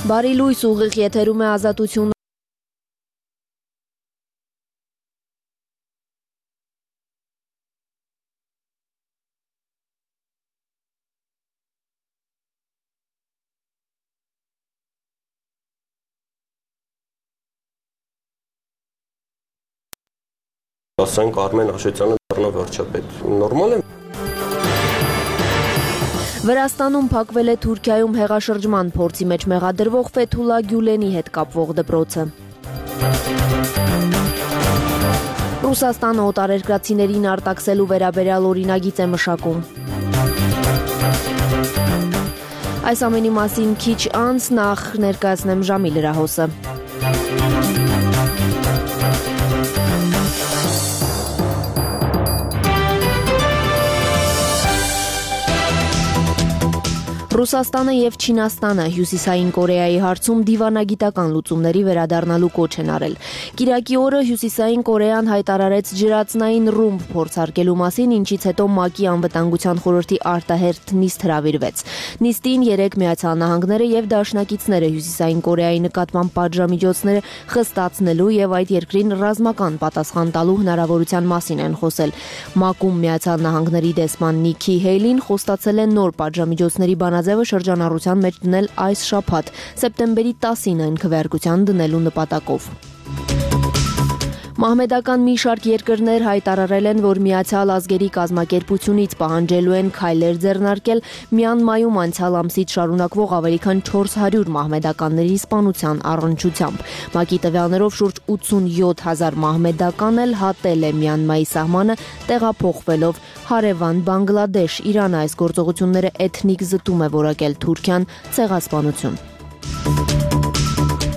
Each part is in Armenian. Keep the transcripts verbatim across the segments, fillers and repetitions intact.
Բարի լույս, ուղիղ եթերում է Ազատություն։ Ասենք Արմեն Աշոտյանը դառնա վարչապետ։ Նորմալ է։ Վրաստանում փակվել է Թուրքիայում հեղաշրջման փորձի մեջ մեղադրվող Ֆեթուլա Գյուլենի հետ կապվող դպրոցը։ Ռուսաստանը օտարերկրացիներին արտաքսելու վերաբերյալ օրինագիծ է մշակում։ Այս ամենի մասին քիչ անց նախ ներկայացնեմ ժամի լրահոսը։ Ռուսաստանը և Չինաստանը Հյուսիսային Կորեայի հարցում դիվանագիտական լուծումների վերադառնալու կոչ են արել։ Կիրակի օրը Հյուսիսային Կորեան հայտարարեց ջրածնային ռումբ փորձարկելու մասին, ինչից հետո ՄԱԿ-ի անվտանգության խորհրդի արտահերթ նիստ հրավիրվեց։ Նիստին երեք Միացյալ Նահանգները և դաշնակիցները Հյուսիսային Կորեայի նկատմամբ պատժամիջոցները խստացնելու և այդ երկրին ռազմական պատասխան տալու հնարավորության մասին են խոսել։ ՄԱԿ-ում Միացյալ Նահանգների դեսպան Նիքի Հեյլին խոստացել է նոր պատժամիջոցների բանաձևը շրջանառության մեջ դնել այս շաբաթ, սեպտեմբերի տասին այն քվեարկության դնելու նպատակով։ Մահմեդական մի շարք երկրներ հայտարարել են, որ Միացյալ ազգերի կազմակերպությունից պահանջելու են քայլեր ձեռնարկել Մյանմայում անցյալ ամսից շարունակվող ավելի քան չորս հարյուր մահմեդականների սպանության առնչությամբ։ ՄԱԿ-ի տվյալներով շուրջ ութսունյոթ հազար մահմեդական էլ հատել է Մյանմայի սահմանը, տեղափոխվելով հարևան Բանգլադեշ։ Իրանը այս գործողությունները էթնիկ զտում է որակել Թուրքիան ցեղասպանություն։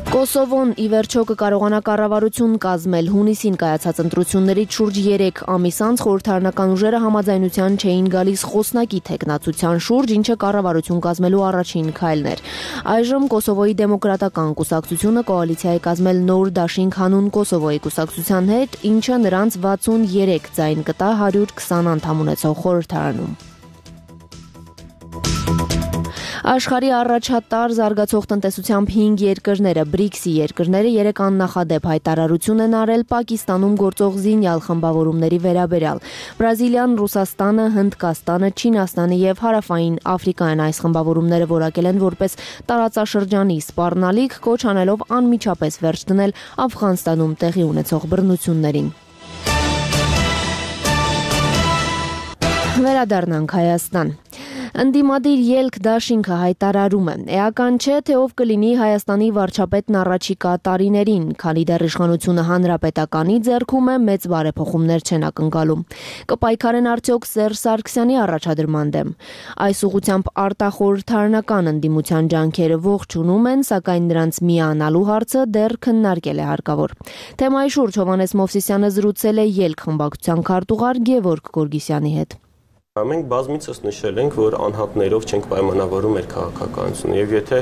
Կոսովոն ի վերջո կկարողանա կառավարություն կազմել։ Հունիսին կայացած ընտրություններից շուրջ երեք ամիս անց խորհրդարանական ուժերը համաձայնության չէին գալիս խոսնակի թեկնածության շուրջ, ինչը կառավարություն կազմելու առաջին քայլն էր։ Այժմ Կոսովոյի դեմոկրատական կուսակցությունը կոալիցիա է կազմել նոր դաշինք հանուն Կոսովոյի կուսակցության հետ, ինչը նրանց վաթսունյերեք ձայն կտա հարյուր քսան անդամ ունեցող խորհրդարանում։ Աշխարհի առաջատար զարգացող տնտեսությամբ հինգ երկրները, բրիքսի երկրները երեք աննախադեպ հայտարարություն են արել Պակիստանում գործող զինյալ խմբավորումների վերաբերյալ։ Բրազիլիան, Ռուսաստանը, Հնդկաստանը, Չինաստանը և Հարավային Աֆրիկան այս խմբավորումները որակել են որպես տարածաշրջանի սպառնալիք, կոչ անելով անմիջապես վերջ դնել Աֆղանստանում տեղի ունեցող բռնություններին։ Վերադառնանք Հայաստան։ Ընդդիմադիր ելք դաշինքը հայտարարում է. Էական չէ, թե ով կլինի Հայաստանի վարչապետն առաջիկա տարիներին, քանի դեռ իշխանությունը հանրապետականի ձեռքում է, մեծ բարեփոխումներ չեն ակնկալում։ Կպայքարեն արդյոք Սերժ Սարգսյանի առաջադրման դեմ։ Այս ուղղությամբ արտախորհրդարանական ընդդիմության ջանքերը ողջունում են, սակայն նրանց միանալու հարցը դեռ քննարկել է հարկավոր։ Թեմայի շուրջ Հովհաննես Մովսիսյանը զրուցել է ելք խմբակցության քարտուղար Գևորգ Գորգիսյանի հետ։ Մենք բազմիցս նշել ենք, որ անհատներով չենք պայմանավորում մեր քաղաքականությունը, եւ եթե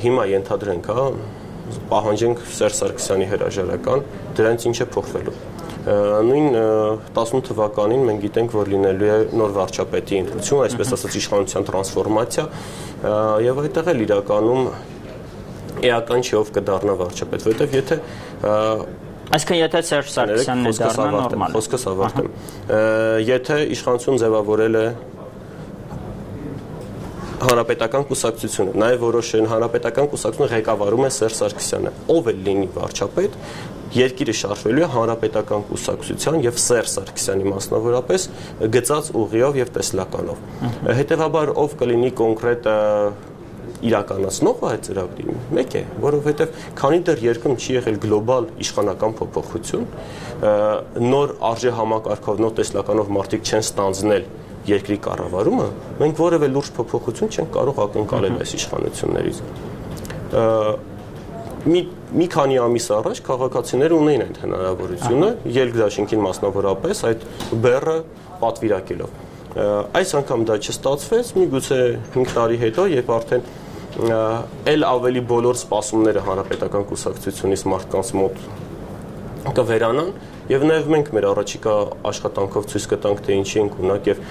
հիմա ենթադրենք, հա, պահանջենք Սերժ Սարգսյանի հրաժարական, դրանից ինչ է փոխվելու։ Նույն տասնութ թվականին մենք գիտենք, որ լինելու է նոր վարչապետի ընտրություն, այսպես ասած իշխանության տրանսֆորմացիա, եւ այդտեղ էլ իրականում էական չի ով կդառնա վարչապետ, որովհետեւ եթե Այսինքն եթե Սերժ Սարգսյանն է դառնա նորմալ։ Խոսքս ավարտեմ։ Եթե իշխանություն ձևավորել է հանրապետական կուսակցությունը, նաև որոշեն հանրապետական կուսակցությունը ղեկավարում է Սերժ Սարգսյանը, ով էլ լինի վարչապետ, երկիրը շարժվելու է հանրապետական կուսակցության եւ Սերժ Սարգսյանի մասնավորապես գծած ուղիով եւ տեսլականով։ Հետևաբար ով կլինի կոնկրետ իրականացնող այդ ծրագրի մեկ է, որովհետև քանի դեռ երկրում չի եղել գլոբալ իշխանական փոփոխություն, նոր արժե համակարգով, նոր տեսլականով մարդիկ չեն ստանձնել երկրի կառավարումը, մենք որևէ լուրջ փոփոխություն չենք կարող ակնկալել այս իշխանություններից։ Մի մի քանի ամիս առաջ քաղաքացիները ունեին այդ հնարավորությունը, ելք դաշինքին մասնավորապես այդ բեռը պատվիրակելով։ Այս անգամ դա չստացվեց, միգուցե հինգ տարի հետո, երբ արդեն էլ ավելի բոլոր սպասումները հանրապետական կուսակցությունից մարդկանց մոտ կվերանան եւ նաեւ մենք մեր առաջիկա աշխատանքով ցույց կտանք թե ինչի ենք ունակ եւ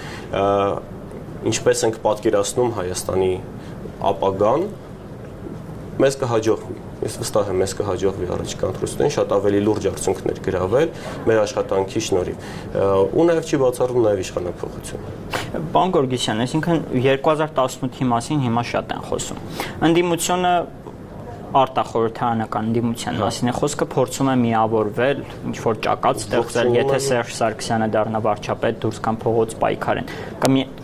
ինչպես ենք պատկերացնում Հայաստանի ապագան մեզ կհաջողվի։ Ես վստահ եմ, մեզ կհաջողվի առաջիկա ընտրություններին շատ ավելի լուրջ արդյունքներ գրավել մեր աշխատանքի շնորհիվ։ Ու նաև չի բացառում նաև իշխանափոխությունը։ Պարոն Գորգիսյան, այսինքն երկու հազար տասնութի մասին հիմա շատ են խոսում։ Ընդդիմությունը արտախորհրդարանական ընդդիմության մասին է խոսքը, փորձում է միավորվել, ինչ որ ճակատ ստեղծել, եթե Սերժ Սարգսյանը դառնա վարչապետ, դուրս կամ փողոց պայքարեն։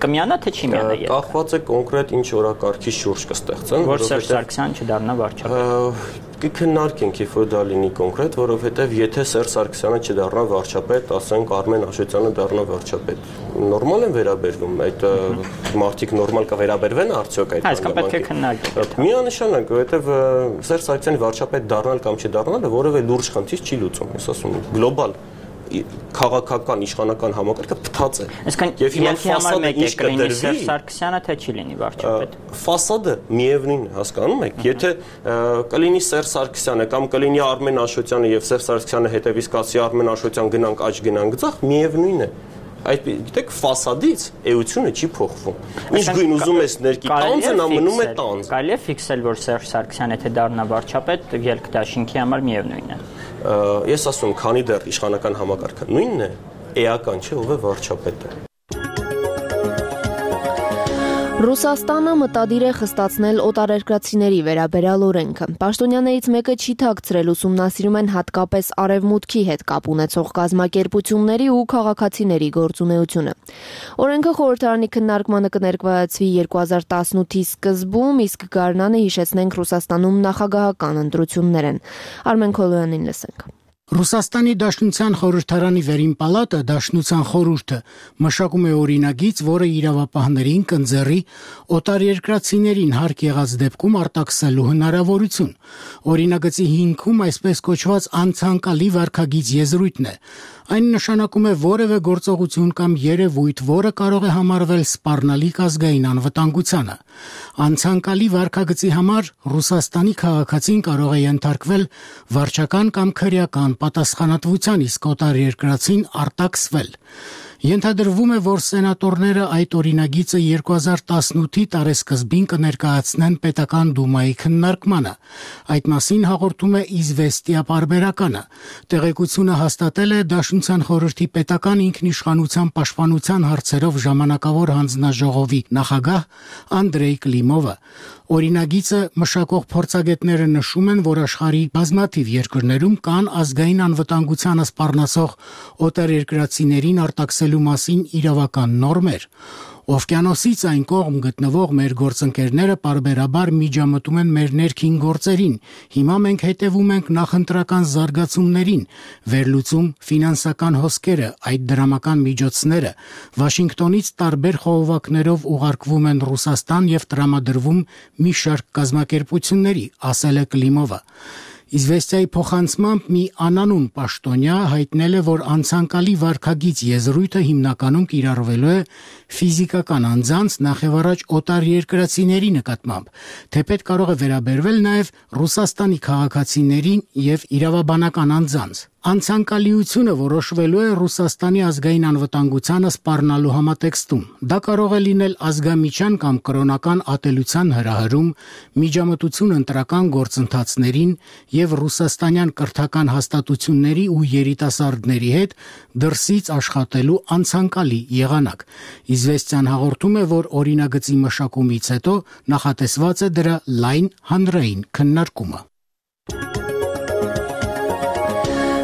Կմիանա թե չի միանա երբ։ Կախված է կոնկրետ ինչ օրակարգի շուրջ կստեղծեն, որ Սերժ Սարգսյանը չդառնա վարչապետ։ Կքննարկենք, երբ որ դա լինի կոնկրետ, որովհետև եթե Սերժ Սարգսյանը չդառնա վարչապետ, ասենք Արմեն Աշոտյանը դառնա վարչապետ, նորմալ են վերաբերվում, այդ մարդիկ նորմալ կվերաբերվեն արդյոք այդ Այսքան պետք է քննարկենք։ Միանշանակ, որովհետև Սերժ Սարգսյանի վարչապետ դառնալ կամ չդառնալը որևէ լուրջ խնդիր չի լուծում, ես ասում եմ, գլոբալ քաղաքական իշխանական համակարգը փտած է։ Այսինքն եւ հիմա ֆասադը ինչ կդրվի Սերժ Սարգսյանը թե չի լինի վարչապետ։ Ֆասադը միևնույն է, հասկանում եք, եթե կլինի Սերժ Սարգսյանը կամ կլինի Արմեն Աշոտյանը եւ Սերժ Սարգսյանը հետևից կասի Արմեն Աշոտյան գնանք աճ գնանք ձախ, միևնույն է։ Այդ գիտեք ֆասադից էությունը չի փոխվում։ Ինչ գույն ուզում ես ներկի տանձը նա մնում է տանձ։ Կարելի է ֆիքսել, որ Սերժ Սարգսյանը եթե դառնա վարչապետ, ելք դաշինքի համար միևնույն է։ Ես ասում, քանի դեռ իշխանական համակարգը նույնն է, էական չէ ով է վարչապետը։ Ռուսաստանը մտադիր է խստացնել օտարերկրացիների վերաբերյալ օրենքը։ Պաշտոնյաներից մեկը չի թաքցրել, ուսումնասիրում են հատկապես արևմուտքի հետ կապ ունեցող կազմակերպությունների ու քաղաքացիների գործունեությունը։ Օրենքը խորհրդարանի քննարկմանը կներկայացվի երկու հազար տասնութի սկզբում, իսկ գարնանը հիշեցնենք Ռուսաստանում նախագահական ընտրություններ են։ Արմեն Քոլոյանին լսենք։ Ռուսաստանի Դաշնության խորհրդարանի վերին պալատը Դաշնության խորհուրդը մշակում է օրինագիծ, որը իրավապահներին կընձեռի օտարերկրացիներին հարկ եղած դեպքում արտաքսելու հնարավորություն։ Օրինագծի հիմքում այսպես կոչված անցանկալի վարքագիծ եզրույթն է։ Այն նշանակում է որևէ գործողություն կամ երևույթ, որը կարող է համարվել սպառնալիք ազգային անվտանգությանը։ Անցանկալի վարքագծի համար Ռուսաստանի քաղաքացին կարող է ենթարկվել վարչական կամ քրեական պատասխանատվության, իսկ օտարերկրացին արտաքսվել։ Ենթադրվում է, որ սենատորները այդ օրինագիծը երկու հազար տասնութի տարեսկզբին կներկայացնեն պետական դումայի քննարկմանը։ Այդ մասին հաղորդում է Իզվեստիա պարբերականը։ Տեղեկությունը հաստատել է Դաշնության խորհրդի պետական ինքնիշխանության պաշտպանության հարցերով ժամանակավոր հանձնաժողովի նախագահ Անդրեյ Կլիմովը։ Օրինագիծը մշակող փորձագետները նշում են, որ աշխարհի բազմաթիվ երկրներում կան ազգային անվտանգությանը սպառնացող օտարերկրացիներին արտաքսելու մասին իրավական նորմեր։ Օվկիանոսից այն կողմ գտնվող մեր գործընկերները պարբերաբար միջամտում են մեր ներքին գործերին։ Հիմա մենք հետևում ենք նախընտրական զարգացումներին, վերլուծում ֆինանսական հոսքերը, այդ դրամական միջոցները Վաշինգտոնից տարբեր խողովակներով ուղարկվում են Ռուսաստան եւ տրամադրվում մի շարք կազմակերպությունների, ասել է Կլիմովը։ Իզվեստիայի փոխանցմամբ մի անանուն պաշտոնյա հայտնել է, որ անցանկալի վարքագիծ եզրույթը հիմնականում կիրառվելու է ֆիզիկական անձանց, նախևառաջ օտարերկրացիների նկատմամբ, թեպետ կարող է վերաբերվել նաև Ռուսաստանի քաղաքացիներին եւ իրավաբանական անձանց։ Անցանկալիությունը որոշվելու է Ռուսաստանի ազգային անվտանգությանը սպառնալու համատեքստում։ Դա կարող է լինել ազգամիջյան կամ կրոնական ատելության հրահրում, միջամտություն ընտրական գործընթացներին եւ ռուսաստանյան կրթական հաստատությունների ու երիտասարդների հետ դրսից աշխատելու անցանկալի եղանակ։ Իզվեստիան հաղորդում է, որ օրինագծի մշակումից հետո նախատեսված է դրա լայն հանրային քննարկումը։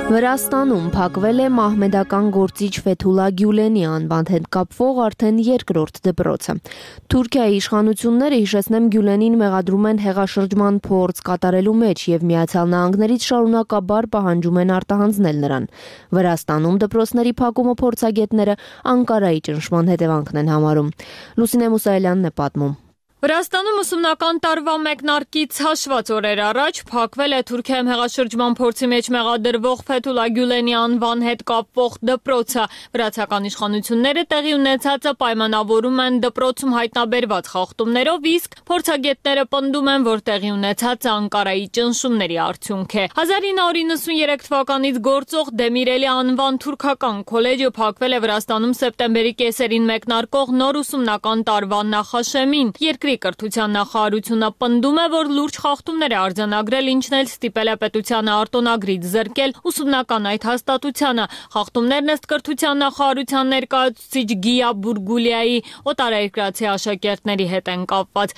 Վրաստանում փակվել է մահմեդական գործիչ Ֆեթուլա Գյուլենի անվան հետ կապվող արդեն երկրորդ դպրոցը։ Թուրքիայի իշխանությունները, հիշեցնեմ, Գյուլենին մեղադրում են հեղաշրջման փորձ կատարելու մեջ եւ Միացյալ Նահանգներից շարունակաբար պահանջում են արտահանձնել նրան։ Վրաստանում դպրոցների փակումը փորձագետները Անկարայի ճնշման հետևանքն են համարում։ Լուսինե Մուսայելյանն է պատմում։ Վրաստանում ուսումնական տարվա մեկնարկից հաշված օրեր առաջ փակվել է Թուրքիայում հեղաշրջման փորձի մեջ մեղադրվող Ֆեթուլա Գյուլենի անվան հետ կապվող դպրոցը։ Վրացական իշխանությունները տեղի ունեցածը պայմանավորում են դպրոցում հայտնաբերված խախտումներով, իսկ փորձագետները պնդում են, որ տեղի ունեցածը Անկարայի ճնշումների արդյունք է։ հազար ինը հարյուր նվաթ թվականից գործող Դեմիրելի անվան թուրքական քոլեջը փակվել է Վրաստանում սեպտեմբերի կեսերին մեկնարկող նոր ուսումնական տարվա նախաշեմին։ Երկրի Ուսումնասիրությունների կրթության նախարարությունը պնդում է, որ լուրջ խախտումներ է արձանագրել, ինչն էլ ստիպել է պետությանը արտոնագրից զրկել ուսումնական այդ հաստատությանը։ Խախտումներն ըստ կրթության նախարարության ներկայացուցիչ Գիա Բուրգուլիայի օտարերկրացի աշակերտների հետ են կապված։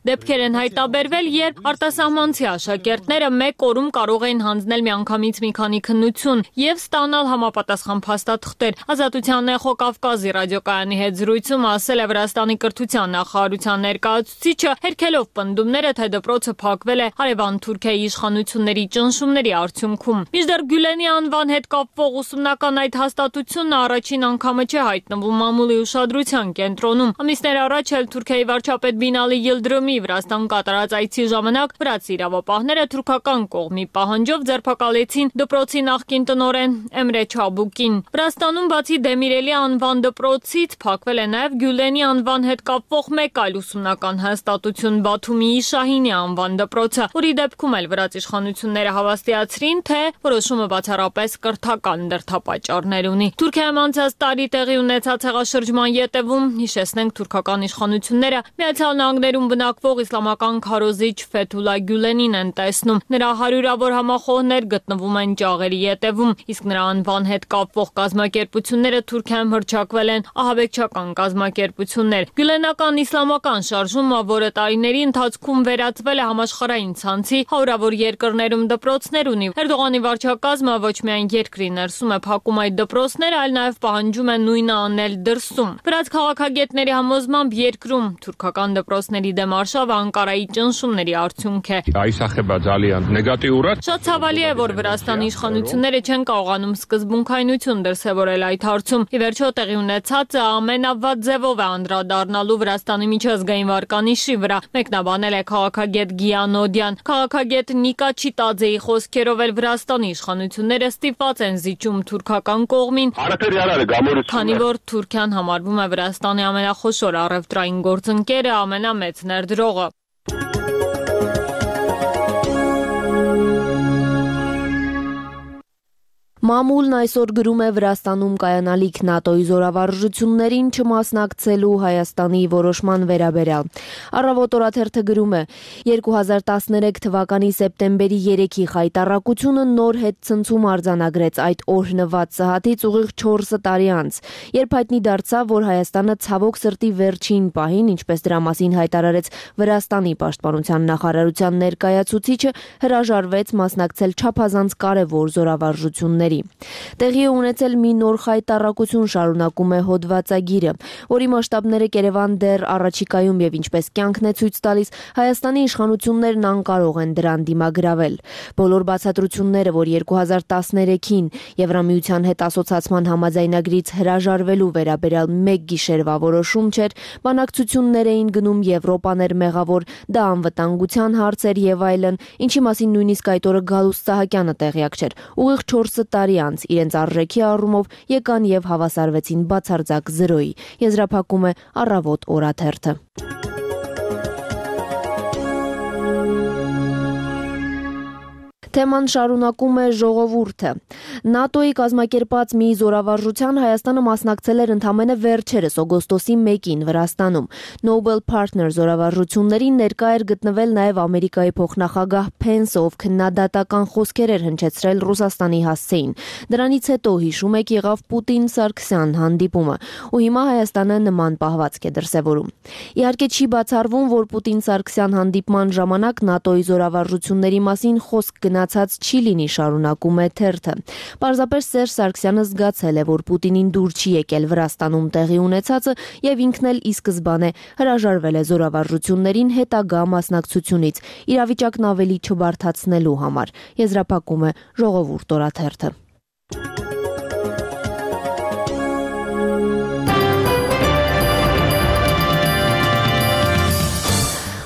Դեպքեր են հայտաբերվել, երբ արտասահմանցի աշակերտները մեկ օրում կարող էին հանձնել միանգամից մի քանի քննություն եւ ստանալ համապատասխան փաստաթղթեր։ Ազատության Էխո Կավկազի ռադիոկայանի հետ զրույցում ասել է Վրաստանի կրթության նախարարության ներկայացուցիչը, հերքելով պնդումները, թե դպրոցը փակվել է հարևան Թուրքիայի իշխանությունների ճնշումների արդյունքում։ Մինչդեռ Գյուլենի անվան հետ կապվող ուսումնական այդ հաստատությունն առաջին անգամը չէ հայտնվում մամուլի ուշադրության կենտրոնում։ Ամիսներ առաջ էլ Թուրքիայի վարչապետ Բինալի Յիլդրիմի Վրաստան կատարած այցի ժամանակ վրացի իրավապահները թուրքական կողմի պահանջով ձերբակալեցին դպրոցի նախկին տնօրեն Էմրե Չաբուկին։ Վրաստանում բացի Դեմիրելի անվան դպրոցից փակվել է նաև Գյուլենի անվան հետ կապվող մեկ այլ ուսումնական հաստատություն Բաթումիի Շահինի անվան դպրոցը, որի դեպքում էլ վրաց իշխանությունները հավաստիացրին, թե որոշումը բացառապես կրթական դրդապատճառներ ունի։ Թուրքիայում անցած տարի տեղի ունեցած հեղաշրջման ետևում, հիշեցնենք, թուրքական իշխանությունները Միացյալ Նահանգներում բնակվող իսլամական քարոզիչ Ֆեթուլա Գյուլենին են տեսնում։ Նրա հարյուրավոր համախոհներ գտնվում են ճաղերի ետևում, իսկ նրա անվան հետ կապվող կազմակերպությունները Թուրքիայում հռչակվել են ահաբեկչական կազմակերպություններ։ Գյուլենական իսլամական շարժումը, որը տարիների ընթացքում վերածվել է համաշխարհային ցանցի, հարյուրավոր երկրներում դպրոցներ ունի։ Էրդողանի վարչակազմը ոչ միայն երկրի ներսում է փակում այդ դպրոցները, այլ նաև պահանջում է նույնը անել դրսում։ Վրաց քաղաքագետների համոզմամբ երկրում թուրքական դպրոցների դեմ արշավը Անկարայի ճնշումների արդյունք է։ Շատ ցավալի է, որ Վրաստանի իշխանությունները չեն կարողանում սկզբունքայնություն դրսևորել այդ հարցում։ Ի վերջո տեղի ունեցածը ամենավատ ձևով է անդրադառնալու Վրաստանի միջազգային վարկանիշի վրա, մեկնաբանել է քաղաքագետ Գիանոդյան։ Քաղաքագետ Նիկա Չիտաձեի խոսքերով էլ Վրաստանի իշխանությունները ստիպված են զիջում թուրքական կողմին, քանի որ Թուրքիան համարվում է Վրաստանի ամենախոշոր առևտրային գործընկերը, ամենամեծ ներդրողը։ Մամուլն այսօր գրում է Վրաստանում կայանալիք ՆԱՏՕ-ի զորավարժություններին չմասնակցելու Հայաստանի որոշման վերաբերյալ։ Առավոտ օրաթերթը գրում է. երկու հազար տասներեք թվականի սեպտեմբերի երեքի խայտառակությունը նոր հետցնցում արձանագրեց այդ օրհնված սահաթից ուղիղ չորս տարի անց, երբ հայտնի դարձավ, որ Հայաստանը ցավոք սրտի վերջին պահին, ինչպես դրա մասին հայտարարեց Վրաստանի պաշտպանության նախարարության ներկայացուցիչը, հրաժարվեց մասնակցել չափազանց կարևոր զորավարժությունների։ Տեղի է ունեցել մի նոր խայտառակություն, շարունակում է հոդվածագիրը, որի մասշտաբները Երևան դեռ առաջիկայում եւ ինչպես կյանքն է ցույց տալիս, Հայաստանի իշխանություններն անկարող են դրան դիմագրավել։ Բոլոր բացատրությունները, որ երկու հազար տասներեքին Եվրամիության հետ ասոցացման համաձայնագրից հրաժարվելու վերաբերյալ մեկ գիշերվա որոշում չէր, բանակցություններ էին գնում, Եվրոպան էր մեղավոր, դա անվտանգության հարց էր եւ այլն, ինչի մասին նույնիսկ այդ օրը Գալուստ Սահակյանը տեղյակ չէր։ Ուղիղ չորս տարի անց իրենց արժեքի առումով եկան եւ հավասարվեցին բացարձակ զրոյի։ Եզրափակում է Առավոտ օրաթերթը։ Թեման շարունակում է ժողովուրդը։ ՆԱՏՕ-ի կազմակերպած մի զորավարժության Հայաստանը մասնակցել էր ընդամենը վերջերս օգոստոսի մեկին Վրաստանում։ Noble Partner զորավարժություններին ներկա էր գտնվել նաև Ամերիկայի փոխնախագահ Փենսը, ով քննադատական խոսքեր էր հնչեցրել Ռուսաստանի հասցեին։ Դրանից հետո, հիշում եք, եղավ Պուտին-Սարգսյան հանդիպումը, ու հիմա Հայաստանը նման պահվածք է դրսևորում։ Իհարկե չի բացառվում, որ Պուտին-Սարգսյան հանդիպման ժամանակ ՆԱՏՕ-ի զորավարժությունների մասին խոսք գնա չի լինի, շարունակում է թերթը։ Պարզապես Սերժ Սարգսյանը զգացել է, որ Պուտինին դուր չի եկել Վրաստանում տեղի ունեցածը եւ ինքն էլ ի սկզբանե հրաժարվել է զորավարժություններին հետագա մասնակցությունից, իրավիճակն ավելի չբարդացնելու համար։ Եզրափակում է Ժողովուրդ օրաթերթը։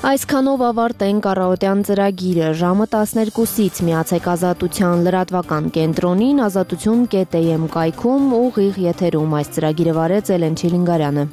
Այսքանով ավարտենք առավոտյան ծրագիրը։ Ժամը տասներկուսից միացեք Ազատության լրատվական կենտրոնին, ազատություն կետ էյ էմ կայքում ուղիղ եթերում այս ծրագիրը վարեց Էլեն Չիլինգարյանը։